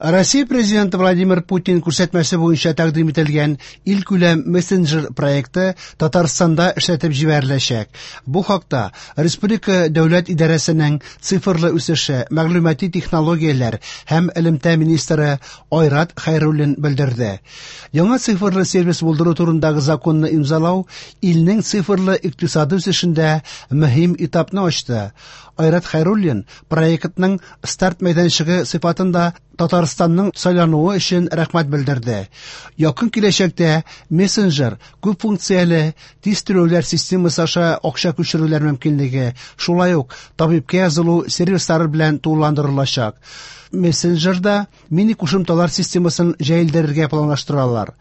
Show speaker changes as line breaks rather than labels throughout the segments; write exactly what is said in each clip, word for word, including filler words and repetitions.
Россия Президенты Владимир Путин күрсәтмәсе буенча тәкъдим ителгән илкүләм мессенджер проекты Татарстанда эшләтеп җибәреләчәк. Бу хакта Республика дәүләт идарәсенең цифрлы үсеше, мәгълүмати технологияләр һәм элемтә министры Айрат Хәйруллин белдерде. Яңа цифрлы сервис булдыру турындагы законны имзалау илнең цифрлы икътисады үсешендә мөһим этапны ачты. Айрат Хәйруллин проектның старт мәйданчыгы сыйфатында Татарстанның сайлануы өчен рәхмәт белдерде. Якын киләчәктә мессенджер күп функцияле тиз түләүләр системасы аша акча күчерүләр мөмкинлеге, шулай ук табибкә язылу сервислары белән тулыландырылачак. Мессенджерда мини кушымталар системасын җәелдерергә планлаштыралар.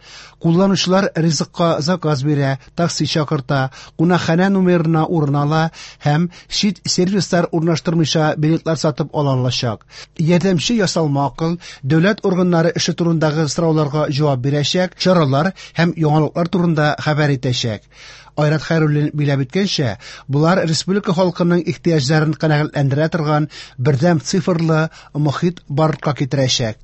Кулланучылар ризыкка заказ бирә, такси чакырта, кунакханә номерына урын ала һәм чит сервислар урнаштырмыйча билетлар сатып ала алачак. Ярдәмче ясалма акыл дәүләт органнары эше турындагы сорауларга җавап бирәчәк, чаралар һәм яңалыклар турында хәбәр итәчәк. Айрат Хәйруллин биләп үткәнчә, болар республика халкының ихтыяҗларын канәгатьләндерә торган бердәм цифрлы мохит барлыкка китерәчәк.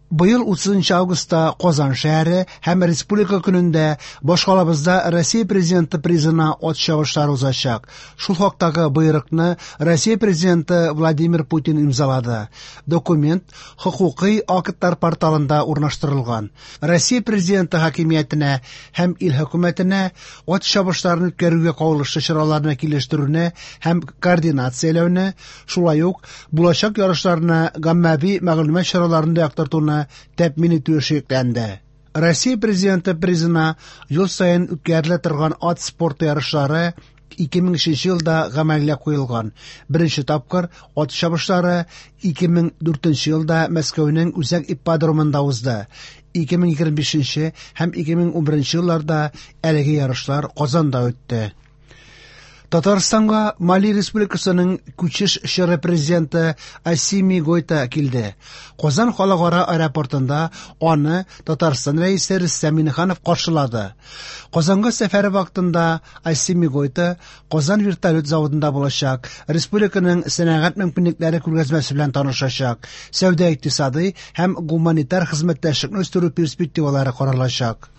Быел утызынчы августта Казан шәһәре һәм Республика көнендә башкалабызда Россия Президенты призына ат чабышлары узачак. Шул хактагы боерыкны Россия Президенты Владимир Путин имзалады. Документ хокукый актлар порталында урнаштырылган. Россия Президенты хакимиятенә һәм ил хөкүмәтенә ат чабышларын үткәрүгә кагылышлы чараларны килештерүне һәм координацияләүне, шулай ук булачак ярышларны гаммәви мәгълүмат чараларында яктыртуны тәэмин итү эше йөкләнде. Россия Президенты призына ел саен үткәрелә торган ат спорты ярышлары ике мең өченче елда гамәлгә куелган. Беренче тапкыр ат чабышлары ике мең дүртенче елда Мәскәүнең үзәк ипподромында узды. Ике мең егерме бишенче һәм ике мең унберенче елларда әлеге ярышлар Казанда үтте. Татарстанга Мали Республикасының күчеш чоры президенты Асими Гойта килде. Казан халыкара аэропортында аны Татарстан рәисе Рөстәм Миңнеханов каршылады. Казанга сәфәре вакытында Асими Гойта Казан вертолет заводында булачак, республиканың сәнәгать мөмкинлекләре күргәзмәсе белән танышачак, сәүдә икътисадый һәм гуманитар хезмәттәшлекне үстерү перспективалары каралачак.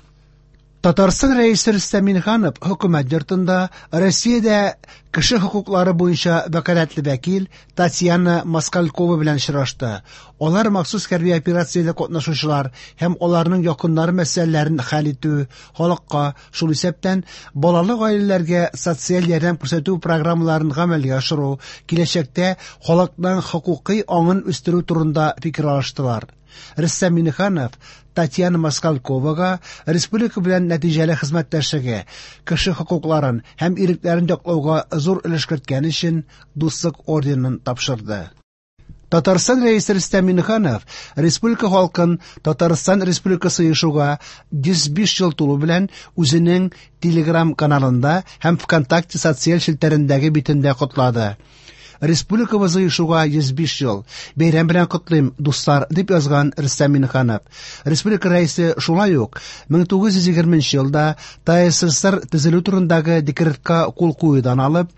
Татарстан рәисе Рөстәм Миңнеханов хөкүмәт йортында Россиядә кеше хокуклары буенча вәкаләтле вәкил Татьяна Москалькова белән очрашты. Алар махсус хәрби операциядә катнашучылар һәм аларның якыннары мәсьәләләрен хәл итү, халыкка, шул исәптән балалы гаиләләргә социаль ярдәм күрсәтү программаларын гамәлгә ашыру, киләчәктә халыкның хокукый аңын үстерү турында фикер алыштылар. Рөстәм Миңнеханов Татьяна Москальковага республика белән нәтиҗәле хезмәттәшлеге, кеше хокукларын һәм ирекләрен яклауга зур өлеш керткән өчен Дуслык орденын тапшырды. Татарстан рәисе Рөстәм Миңнеханов республика халкын Татарстан Республикасы оешуга йөз биш ел тулу белән үзенең Telegram каналында һәм ВКонтакте социаль челтәрендәге битендә котлады. Республикабыз оешуга йөз биш ел. Бәйрәм белән котлыйм, дуслар, дип язган Рөстәм Миңнеханов. Республика рәисе шулай ук мең тугыз йөз егерменче елда ТАССР төзелү турындагы декретка кул куюдан алып,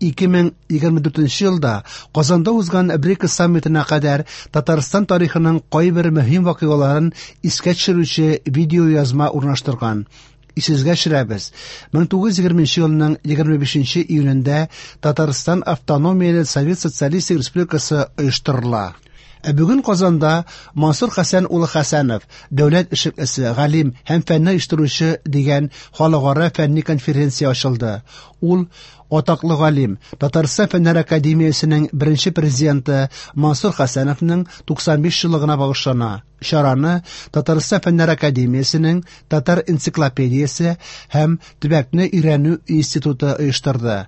ике мең егерме дүртенче елда Казанда узган БРИКС саммитына кадәр Татарстан тарихының кайбер мөһим вакыйгаларын искә төшерүче видеоязма урнаштырган. Исегезгә төшерәбез. Мең тугыз йөз егерменче елның егерме бишенче июнендә Татарстан Автономияле Совет Социалистик Республикасы оештырыла. Ә бүген Казанда Мансур Хәсән улы Хәсәнов, дәүләт эшлеклесе, галим һәм фәнне оештыручы дигән халыкара фәнни конференция ачылды. Ул атаклы галим, Татарстан Фәннәр Академиясенең беренче президенты Мансур Хәсәновның туксан биш еллыгына багышлана. Чараны Татарстан Фәннәр Академиясенең Татар энциклопедиясе һәм төбәкне өйрәнү институты оештырды.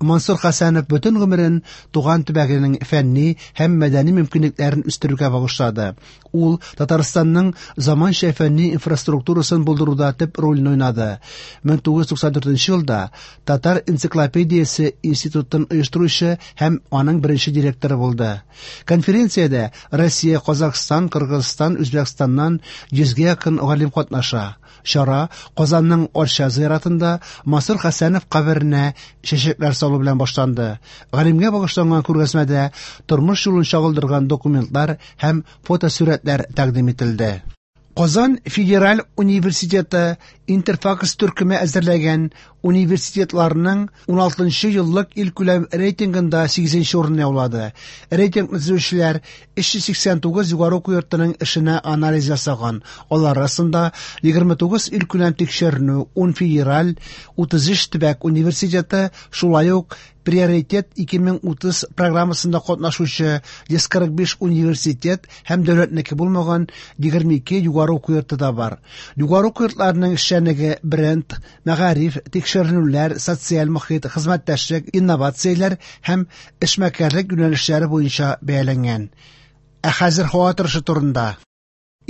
Мансур Хәсәнов бөтен гомерен туган төбәгенең фәнни һәм мәдәни мөмкинлекләрен үстерүгә багышлады. Ул Татарстанның заманча фәнни инфраструктурасын булдыруда төп рольне уйнады. Мең тугыз йөз туксан дүртенче елда Татар энциклопедиясе институтын оештыручы һәм аның беренче директоры булды. Конференциядә Россия, Казахстан, Кыргызстан, Татарстан, Үзбәкстаннан йөзгә якын галим катнаша. Чара Казанның Арча зиратында Мансур Хәсәнов каберенә чәчәкләр салу белән башланды. Галимгә багышланган күргәзмәдә тормыш юлын чагылдырган документлар һәм фотосурәтләр тәкъдим ителде. Казан федераль университеты Интерфакс төркеме әзерләгән университетларның уналтынчы еллык илкүләм рейтингында сигезенче урынны яулады. Рейтингны төзүчеләр өч йөз сиксән тугыз югары уку йортының эшенә анализ ясаган. Алар арасында егерме тугыз илкүләм тикшеренү, ун федераль, утыз өч төбәк университеты, шулай ук Приоритет ике мең утыз программасында катнашучы йөз кырык биш университет һәм дәүләтнеке булмаган егерме ике югары уку йорты да бар. Югары уку йортларының эшчәнлеге бренд, мәгариф, тикшеренүләр, социаль мохит, хезмәттәшлек, инновацияләр һәм эшмәкәрлек юнәлешләре буенча бәяләнгән. Ә хәзер һава торышы турында.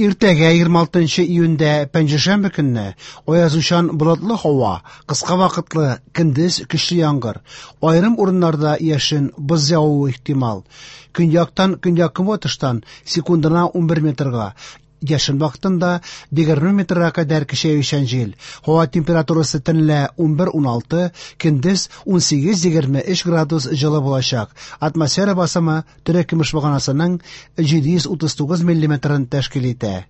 Иртәгә егерме алтынчы июньдә пәнҗешәмбе көнне аязучан болытлы һава, кыска вакытлы көндез көчле яңгыр, аерым урыннарда яшен, боз явуы ихтимал. Көньяктан көньяк-көнбатыштан секундына унбер метрга, яшен вакытында егерме метрга кадәр көчәючән җил. Һава температурасы төнлә унбер уналты, көндез унсигез егерме өч градус җылы булачак. Атмосфера басымы терекөмеш баганасының җиде йөз утыз тугыз миллиметрын тәшкил итә.